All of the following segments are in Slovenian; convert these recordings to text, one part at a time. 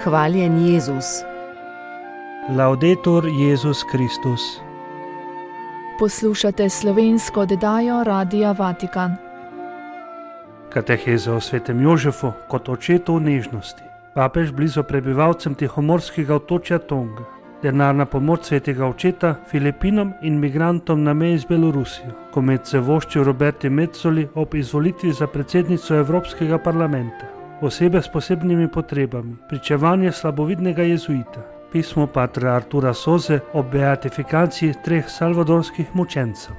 Hvaljen Jezus. Laudetur Jezus Kristus. Poslušate slovensko oddajo Radia Vatikan. Kateheza o svetem Jožefu kot očetu v nežnosti. Papež blizu prebivalcem tihomorskega otočja Tonga. Denarna pomoč svetega očeta Filipinom in migrantom na meji z Belorusijo. Komet se vošči Roberti Metzoli ob izvolitvi za predsednico Evropskega parlamenta. Osebe s posebnimi potrebami. Pričevanje slabovidnega jezuita. Pismo patra Artura Soze o beatifikaciji 3 salvadorskih mučencev.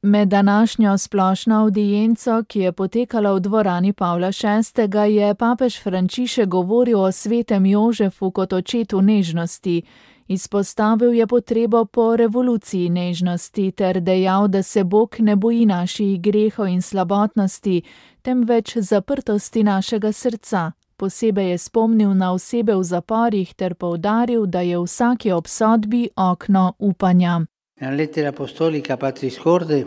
Med današnjo splošno avdienco, ki je potekala v dvorani Pavla VI., je papež Frančišek govoril o svetem Jožefu kot očetu nežnosti. Izpostavil je potrebo po revoluciji nežnosti ter dejal, da se Bog ne boji naših grehov in slabotnosti, temveč zaprtosti našega srca. Posebej je spomnil na osebe v zaporih ter poudaril, da je v vsaki obsodbi okno upanja. Nella lettera apostolica Patris Corde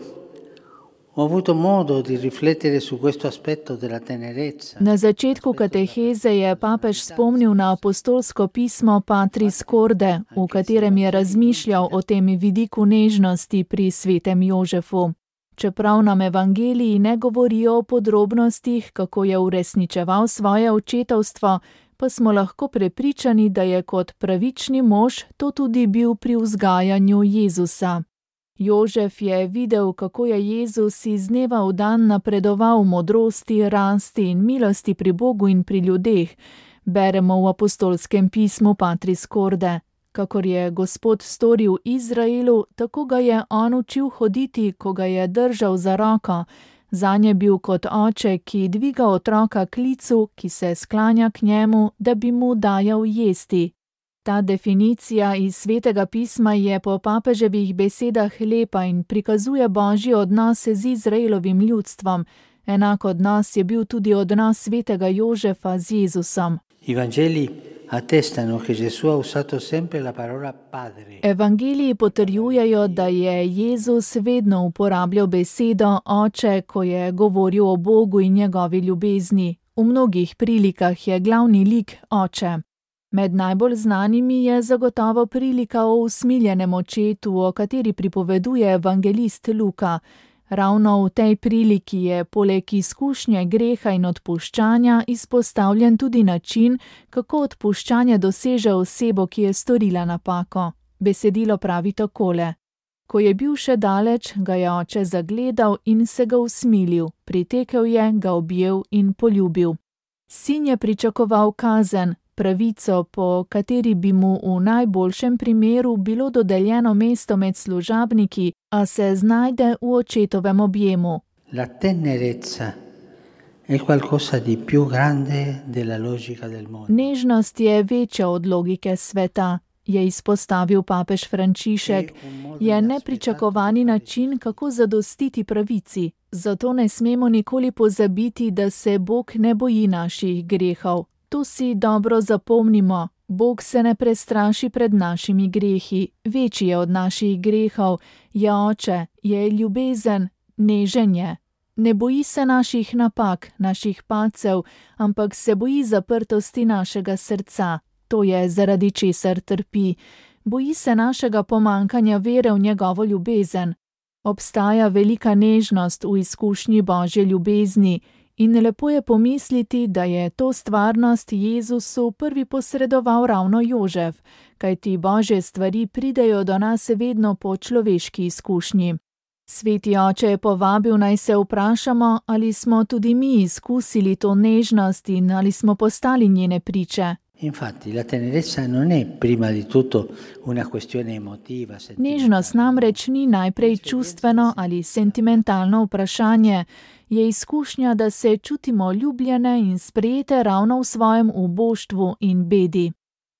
ho avuto modo di riflettere su questo aspetto della tenerezza. Na začetku kateheze je papež spomnil na apostolsko pismo Patris Corde, v katerem je razmišljal o tem vidiku nežnosti pri svetem Jožefu. Čeprav nam evangeliji ne govorijo o podrobnostih, kako je uresničeval svoje očetovstvo, pa smo lahko prepričani, da je kot pravični mož to tudi bil pri vzgajanju Jezusa. Jožef je videl, kako je Jezus iz dneva v dan napredoval v modrosti, rasti in milosti pri Bogu in pri ljudeh, beremo v apostolskem pismu Patris Corde. Kakor je Gospod storil Izraelu, tako ga je on učil hoditi, ko ga je držal za roko. Zanj je bil kot oče, ki dviga otroka k licu, ki se sklanja k njemu, da bi mu dajal jesti. Ta definicija iz svetega pisma je po papeževih besedah lepa in prikazuje božji odnos z Izraelovim ljudstvom. Enak odnos je bil tudi odnos svetega Jožefa z Jezusom. Evangeliji potrjujejo, da je Jezus vedno uporabljal besedo oče, ko je govoril o Bogu in njegovi ljubezni. V mnogih prilikah je glavni lik oče. Med najbolj znanimi je zagotovo prilika o usmiljenem očetu, o kateri pripoveduje evangelist Luka. Ravno v tej priliki je poleg izkušnje greha in odpuščanja izpostavljen tudi način, kako odpuščanje doseže osebo, ki je storila napako. Besedilo pravi takole: Ko je bil še daleč, ga je oče zagledal in se ga usmilil, pritekel je, ga objel in poljubil. Sin je pričakoval kazen, pravico, po kateri bi mu v najboljšem primeru bilo dodeljeno mesto med služabniki, a se znajde v očetovem objemu. La tenerezza è qualcosa di più grande della logica del mondo. Nežnost je večja od logike sveta, je izpostavil papež Frančišek. Je nepričakovani način, kako zadostiti pravici. Zato ne smemo nikoli pozabiti, da se Bog ne boji naših grehov. To si dobro zapomnimo. Bog se ne prestraši pred našimi grehi, večji je od naših grehov, je oče, je ljubezen, nežen je. Ne boji se naših napak, naših padcev, ampak se boji zaprtosti našega srca. To je zaradi česar trpi. Boji se našega pomankanja vere v njegovo ljubezen. Obstaja velika nežnost v izkušnji Božje ljubezni, in lepo je pomisliti, da je to stvarnost Jezusu prvi posredoval ravno Jožef, kajti Božje stvari pridejo do nas vedno po človeški izkušnji. Sveti oče je povabil, naj se vprašamo, ali smo tudi mi izkusili to nežnost in ali smo postali njene priče. Infatti, la tenerezza non è prima di tutto una questione emotiva. Nežnost namreč ni najprej čustveno ali sentimentalno vprašanje, je izkušnja, da se čutimo ljubljene in sprejete ravno v svojem uboštvu in bedi.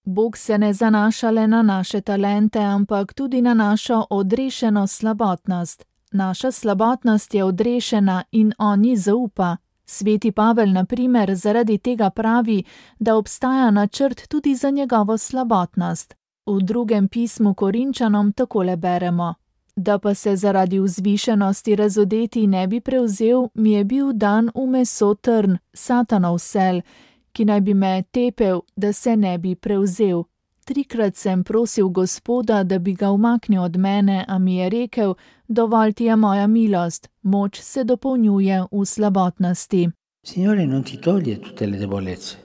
Bog se ne zanaša le na naše talente, ampak tudi na našo odrešeno slabotnost. Naša slabotnost je odrešena in on ji zaupa. Sveti Pavel, na primer, zaradi tega pravi, da obstaja načrt tudi za njegovo slabotnost. V drugem pismu Korinčanom takole beremo: Da pa se zaradi vzvišenosti razodeti ne bi prevzel, mi je bil dan v meso trn, Satanov sel, ki naj bi me tepel, da se ne bi prevzel. 3-krat sem prosil Gospoda, da bi ga umaknil od mene, a mi je rekel, dovolj ti je moja milost, moč se dopolnjuje v slabotnosti. Signore non ti toglie tutte le debolezze,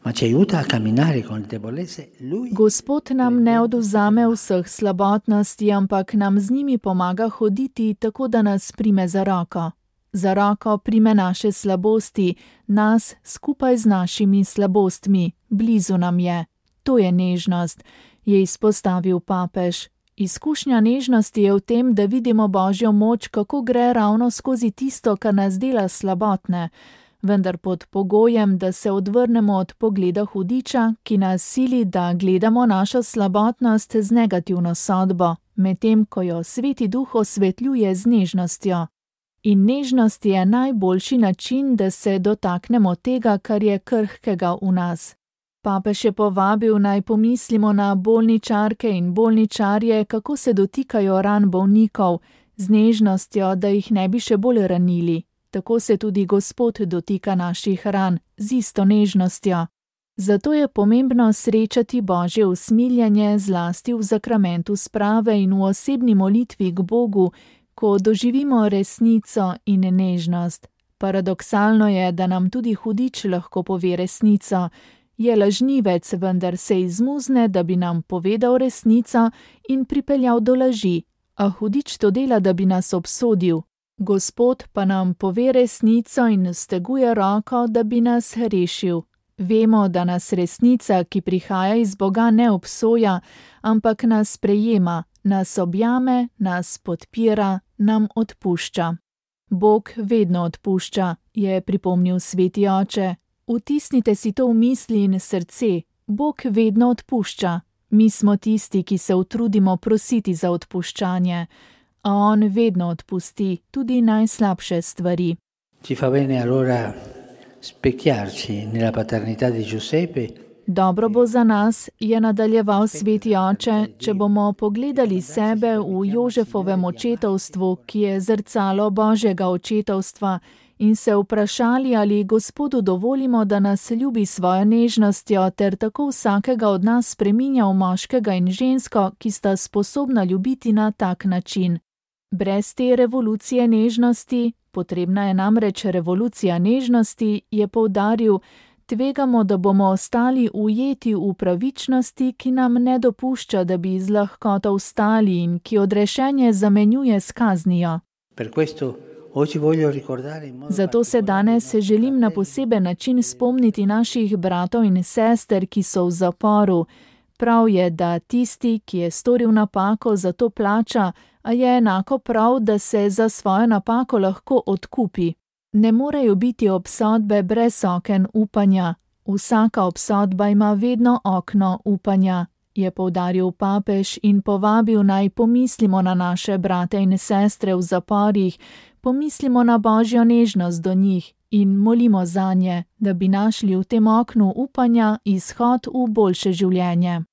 ma ci aiuta a camminare con le debolezze. Gospod nam ne odvzame vseh slabotnosti, ampak nam z njimi pomaga hoditi, tako da nas prime za roko. Za roko prime naše slabosti, nas skupaj z našimi slabostmi, blizu nam je. To je nežnost, je izpostavil papež. Izkušnja nežnosti je v tem, da vidimo Božjo moč, kako gre ravno skozi tisto, kar nas dela slabotne, vendar pod pogojem, da se odvrnemo od pogleda hudiča, ki nas sili, da gledamo našo slabotnost z negativno sodbo, medtem ko jo Sveti Duh osvetljuje z nežnostjo. In nežnost je najboljši način, da se dotaknemo tega, kar je krhkega v nas. Papež je povabil, naj pomislimo na bolničarke in bolničarje, kako se dotikajo ran bolnikov, z nežnostjo, da jih ne bi še bolj ranili. Tako se tudi Gospod dotika naših ran, z isto nežnostjo. Zato je pomembno srečati Božje usmiljenje zlasti v zakramentu sprave in v osebni molitvi k Bogu, ko doživimo resnico in nežnost. Paradoksalno je, da nam tudi hudič lahko pove resnico. Je lažnivec, vendar se izmuzne, da bi nam povedal resnico in pripeljal do laži, a hudič to dela, da bi nas obsodil. Gospod pa nam pove resnico in steguje roko, da bi nas rešil. Vemo, da nas resnica, ki prihaja iz Boga, ne obsoja, ampak nas sprejema, nas objame, nas podpira, nam odpušča. Bog vedno odpušča, je pripomnil Sveti Oče. Vtisnite si to v misli in srce, Bog vedno odpušča. Mi smo tisti, ki se utrudimo prositi za odpuščanje, a on vedno odpusti tudi najslabše stvari. Ci fa bene allora specchiarci nella paternità di Giuseppe. Dobro bo za nas, je nadaljeval Sveti Oče, če bomo pogledali sebe v Jožefovem očetovstvu, ki je zrcalo Božjega očetovstva, in se vprašali, ali Gospodu dovolimo, da nas ljubi svojo nežnostjo, ter tako vsakega od nas spreminja v moškega in žensko, ki sta sposobna ljubiti na tak način. Brez te revolucije nežnosti, potrebna je namreč revolucija nežnosti, je poudaril, tvegamo, da bomo ostali ujeti v pravičnosti, ki nam ne dopušča, da bi z lahkoto vstali in ki odrešenje zamenjuje s kaznijo. Zato se danes želim na poseben način spomniti naših bratov in sester, ki so v zaporu. Prav je, da tisti, ki je storil napako, za to plača, a je enako prav, da se za svojo napako lahko odkupi. Ne morejo biti obsodbe brez oken upanja. Vsaka obsodba ima vedno okno upanja, je poudaril papež in povabil, naj pomislimo na naše brate in sestre v zaporih, pomislimo na Božjo nežnost do njih in molimo zanje, da bi našli v tem oknu upanja izhod v boljše življenje.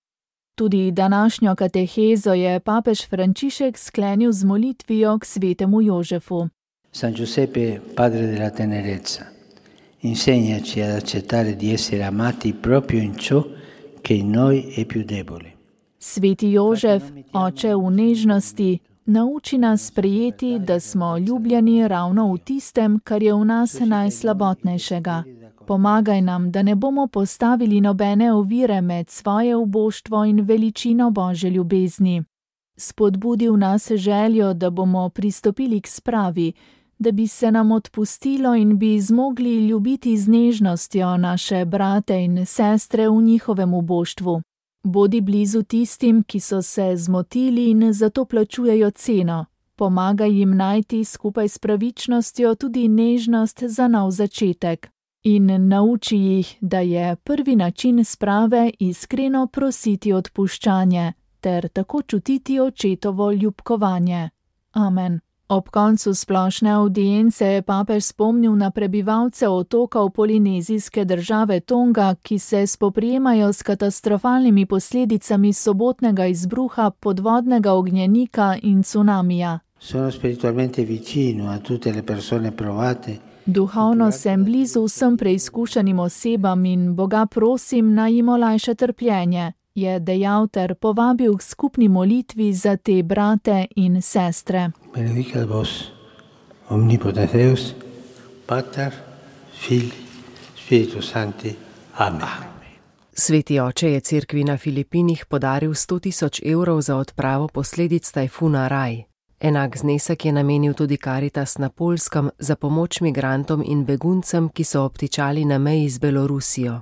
Tudi današnjo katehezo je papež Frančišek sklenil z molitvijo k svetemu Jožefu. San Giuseppe, padre della tenerezza, insegnaci ad accettare di essere amati proprio in ciò che in noi è più debole. Sveti Jožef, oče v nežnosti, nauči nas sprejeti, da smo ljubljeni ravno v tistem, kar je v nas najslabotnejšega. Pomagaj nam, da ne bomo postavili nobene ovire med svoje uboštvo in veličino Božje ljubezni. Spodbudi v nas željo, da bomo pristopili k spravi, da bi se nam odpustilo in bi zmogli ljubiti z nežnostjo naše brate in sestre v njihovem uboštvu. Bodi blizu tistim, ki so se zmotili in zato plačujejo ceno. Pomagaj jim najti skupaj s pravičnostjo tudi nežnost za nov začetek. In nauči jih, da je prvi način sprave iskreno prositi odpuščanje, ter tako čutiti očetovo ljubkovanje. Amen. Ob koncu splošne avdience je papež spomnil na prebivalce otokov polinezijske države Tonga, ki se spoprijemajo s katastrofalnimi posledicami sobotnega izbruha podvodnega ognjenika in cunamija. Sono spiritualmente vicino a tutte le persone provate Duhovno sem blizu vsem preizkušenim osebam in Boga prosim, naj jim olajša trpljenje, je dejal ter povabil k skupni molitvi za te brate in sestre. Benedicat vos, omnipotens Deus, Pater, Filii, Spiritus Sancti. Amen. Sveti oče je cerkvi na Filipinih podaril 100.000 evrov za odpravo posledic tajfuna Rai. Enak znesek je namenil tudi Karitas na Poljskem za pomoč migrantom in beguncem, ki so obtičali na meji z Belorusijo.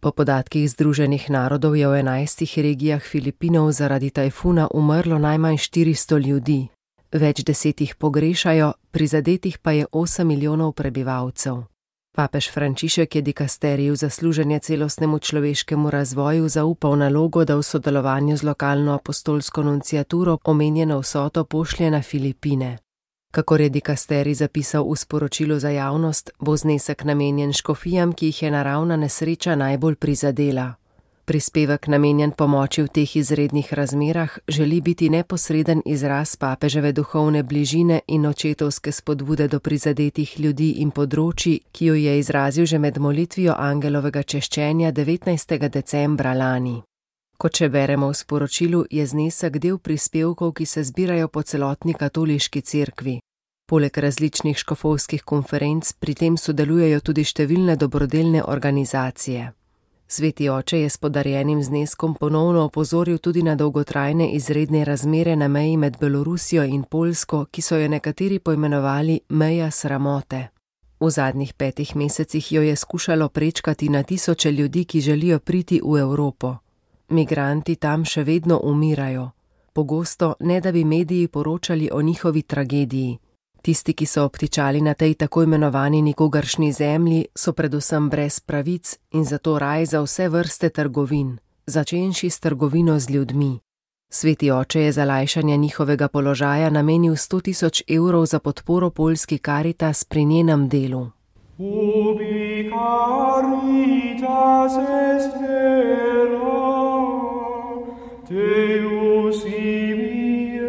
Po podatkih Združenih narodov je v 11 regijah Filipinov zaradi tajfuna umrlo najmanj 400 ljudi. Več deset jih pogrešajo, prizadetih pa je 8 milijonov prebivalcev. Papež Frančišek je dikasteriju za služenje celostnemu človeškemu razvoju zaupal nalogo, da v sodelovanju z lokalno apostolsko nunciaturo omenjeno vsoto pošlje na Filipine. Kakor je dikasterij zapisal v sporočilu za javnost, bo znesek namenjen škofijam, ki jih je naravna nesreča najbolj prizadela. Prispevek namenjen pomoči v teh izrednih razmerah želi biti neposreden izraz papeževe duhovne bližine in očetovske spodbude do prizadetih ljudi in področij, ki jo je izrazil že med molitvijo angelovega češčenja 19. decembra lani. Kot še beremo v sporočilu, je znesek del prispevkov, ki se zbirajo po celotni katoliški cerkvi. Poleg različnih škofovskih konferenc pri tem sodelujejo tudi številne dobrodelne organizacije. Sveti oče je s podarjenim zneskom ponovno opozoril tudi na dolgotrajne izredne razmere na meji med Belorusijo in Poljsko, ki so jo nekateri poimenovali meja sramote. V zadnjih 5 mesecih jo je skušalo prečkati na tisoče ljudi, ki želijo priti v Evropo. Migranti tam še vedno umirajo. Pogosto ne da bi mediji poročali o njihovi tragediji. Tisti, ki so obtičali na tej tako imenovani nikogaršnji zemlji, so predvsem brez pravic in zato raj za vse vrste trgovin, začenši s trgovino z ljudmi. Sveti oče je za lajšanje njihovega položaja namenil 100.000 evrov za podporo poljski Karitas pri njenem delu. Ubi caritas est vera, Deus ibi est.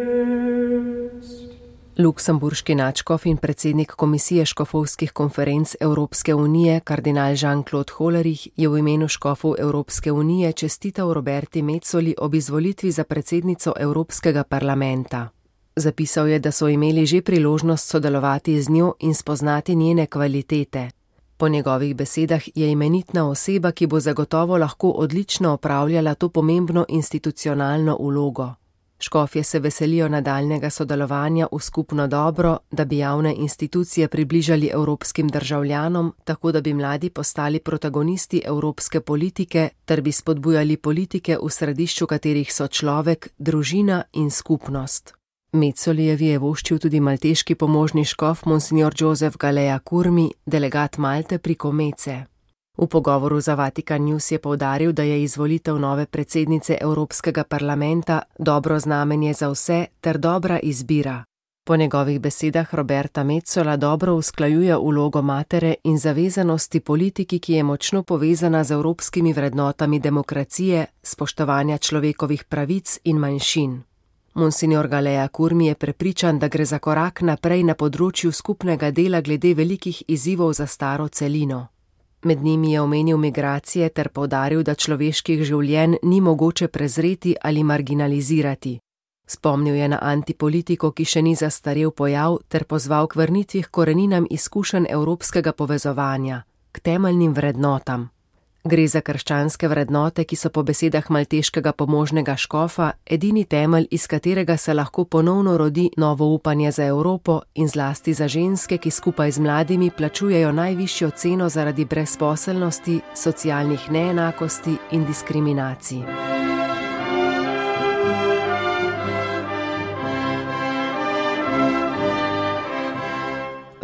Luksemburški nadškof in predsednik Komisije škofovskih konferenc Evropske unije, kardinal Jean-Claude Hollerich, je v imenu škofov Evropske unije čestital Roberti Metzoli ob izvolitvi za predsednico Evropskega parlamenta. Zapisal je, da so imeli že priložnost sodelovati z njo in spoznati njene kvalitete. Po njegovih besedah je imenitna oseba, ki bo zagotovo lahko odlično opravljala to pomembno institucionalno vlogo. Škofje se veselijo nadaljnjega sodelovanja v skupno dobro, da bi javne institucije približali evropskim državljanom, tako da bi mladi postali protagonisti evropske politike, ter bi spodbujali politike, v središču katerih so človek, družina in skupnost. Metzolijevi je voščil tudi malteški pomožni škof monsignor Joseph Galea Kurmi, delegat Malte pri Komece. V pogovoru za Vatikan News je poudaril, da je izvolitev nove predsednice Evropskega parlamenta dobro znamenje za vse ter dobra izbira. Po njegovih besedah Roberta Metzola dobro usklajuje vlogo matere in zavezanosti politiki, ki je močno povezana z evropskimi vrednotami demokracije, spoštovanja človekovih pravic in manjšin. Monsignor Galea Kurmi je prepričan, da gre za korak naprej na področju skupnega dela glede velikih izzivov za staro celino. Med njimi je omenil migracije ter poudaril, da človeških življenj ni mogoče prezreti ali marginalizirati. Spomnil je na antipolitiko, ki še ni zastarel pojav, ter pozval k vrnitvi k koreninam izkušenj evropskega povezovanja, k temeljnim vrednotam. Gre za krščanske vrednote, ki so po besedah malteškega pomožnega škofa edini temelj, iz katerega se lahko ponovno rodi novo upanje za Evropo in zlasti za ženske, ki skupaj z mladimi plačujejo najvišjo ceno zaradi brezposelnosti, socialnih neenakosti in diskriminacij.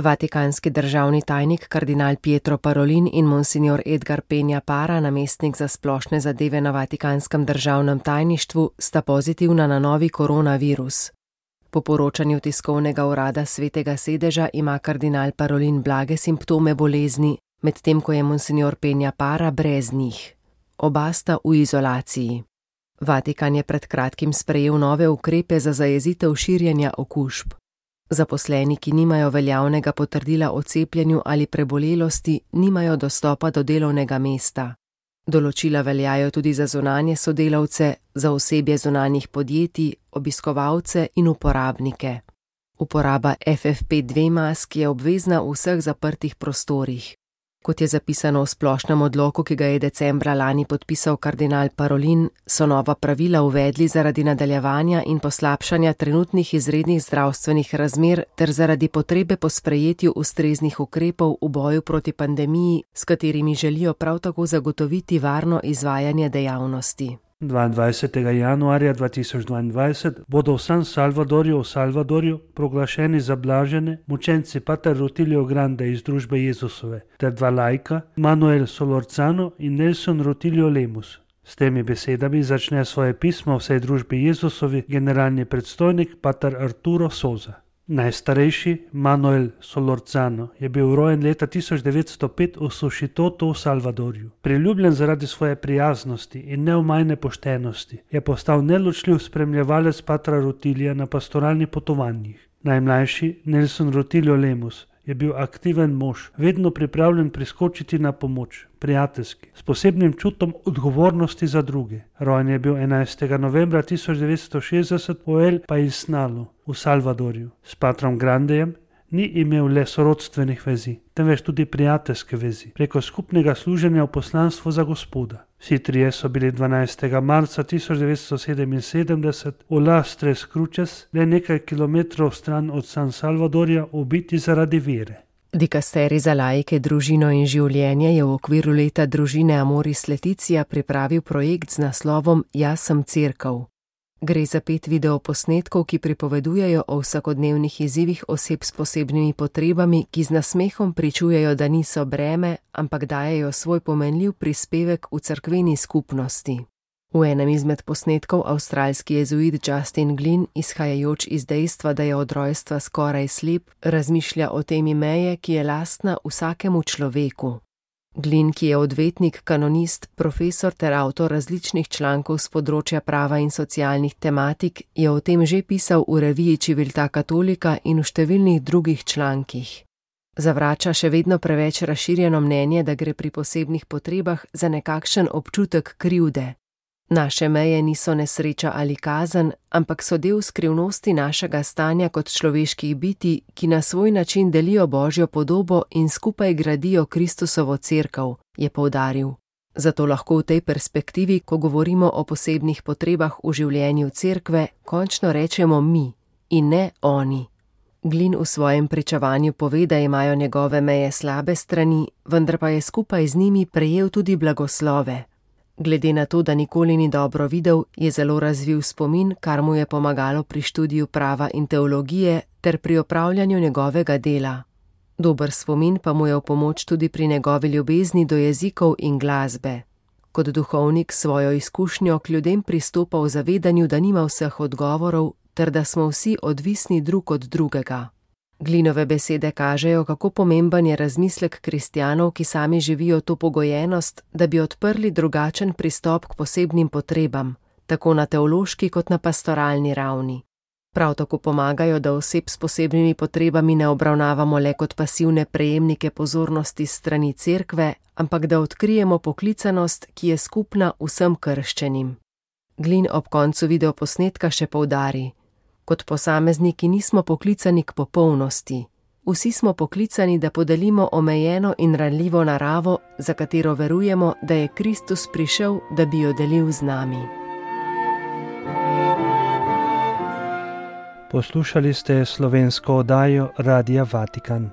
Vatikanski državni tajnik kardinal Pietro Parolin in monsignor Edgar Peña Para, namestnik za splošne zadeve na Vatikanskem državnem tajništvu, sta pozitivna na novi koronavirus. Po poročanju tiskovnega urada Svetega sedeža ima kardinal Parolin blage simptome bolezni, medtem ko je monsignor Peña Para brez njih. Oba sta v izolaciji. Vatikan je pred kratkim sprejel nove ukrepe za zajezitev širjenja okužb. Zaposleni, ki nimajo veljavnega potrdila o cepljenju ali prebolelosti, nimajo dostopa do delovnega mesta. Določila veljajo tudi za zunanje sodelavce, za osebje zunanjih podjetij, obiskovalce in uporabnike. Uporaba FFP2 mask je obvezna v vseh zaprtih prostorih. Kot je zapisano v splošnem odloku, ki ga je decembra lani podpisal kardinal Parolin, so nova pravila uvedli zaradi nadaljevanja in poslabšanja trenutnih izrednih zdravstvenih razmer ter zaradi potrebe po sprejetju ustreznih ukrepov v boju proti pandemiji, s katerimi želijo prav tako zagotoviti varno izvajanje dejavnosti. 22. januarja 2022 bodo v San Salvadorju proglašeni za blažene mučenci pater Rutilio Grande iz družbe Jezusove ter dva laika, Manuel Solorzano in Nelson Rutilio Lemus. S temi besedami začne svoje pismo vsej družbi Jezusovi generalni predstojnik pater Arturo Soza. Najstarejši, Manuel Solorzano, je bil rojen leta 1905 v Sušitotu v Salvadorju. Priljubljen zaradi svoje prijaznosti in neomajne poštenosti, je postal neločljiv spremljevalec patra Rutilija na pastoralnih potovanjih. Najmlajši, Nelson Rutilio Lemus, je bil aktiven mož, vedno pripravljen priskočiti na pomoč, prijateljski, s posebnim čutom odgovornosti za druge. Rojen je bil 11. novembra 1960 v El Paisnalu v Salvadorju. S patrom Grandejem ni imel le sorodstvenih vezi, temveč tudi prijateljske vezi, preko skupnega služenja v poslanstvu za Gospoda. Vsi trije so bili 12. marca 1977 v Las Tres Cruces, le nekaj kilometrov stran od San Salvadorja, ubiti zaradi vere. Dikasterij za laike, družino in življenje je v okviru leta družine Amoris Laetitia pripravil projekt z naslovom Jaz sem cerkev. Gre za 5 videoposnetkov, ki pripovedujejo o vsakodnevnih izzivih oseb s posebnimi potrebami, ki z nasmehom pričujejo, da niso breme, ampak dajejo svoj pomenljiv prispevek v cerkveni skupnosti. V enem izmed posnetkov avstralski jezuit Justin Glynn, izhajajoč iz dejstva, da je od rojstva skoraj slep, razmišlja o temi meje, ki je lastna vsakemu človeku. Glynn, ki je odvetnik, kanonist, profesor ter avtor različnih člankov z področja prava in socialnih tematik, je o tem že pisal v reviji Civiltà Cattolica in v številnih drugih člankih. Zavrača še vedno preveč razširjeno mnenje, da gre pri posebnih potrebah za nekakšen občutek krivde. Naše meje niso nesreča ali kazen, ampak so del skrivnosti našega stanja kot človeških bitij, ki na svoj način delijo Božjo podobo in skupaj gradijo Kristusovo cerkev, je poudaril. Zato lahko v tej perspektivi, ko govorimo o posebnih potrebah v življenju cerkve, končno rečemo mi in ne oni. Glynn v svojem pričevanju pove, da imajo njegove meje slabe strani, vendar pa je skupaj z njimi prejel tudi blagoslove. Glede na to, da nikoli ni dobro videl, je zelo razvil spomin, kar mu je pomagalo pri študiju prava in teologije ter pri opravljanju njegovega dela. Dober spomin pa mu je v pomoč tudi pri njegovi ljubezni do jezikov in glasbe. Kot duhovnik svojo izkušnjo k ljudem pristopa v zavedanju, da nima vseh odgovorov ter da smo vsi odvisni drug od drugega. Glynnove besede kažejo, kako pomemben je razmislek kristjanov, ki sami živijo to pogojenost, da bi odprli drugačen pristop k posebnim potrebam, tako na teološki kot na pastoralni ravni. Prav tako pomagajo, da oseb s posebnimi potrebami ne obravnavamo le kot pasivne prejemnike pozornosti s strani cerkve, ampak da odkrijemo poklicanost, ki je skupna vsem krščenim. Glynn ob koncu videoposnetka še poudari: kot posamezniki nismo poklicani k popolnosti. Vsi smo poklicani, da podelimo omejeno in ranljivo naravo, za katero verujemo, da je Kristus prišel, da bi jo delil z nami. Poslušali ste slovensko oddajo Radia Vatikan.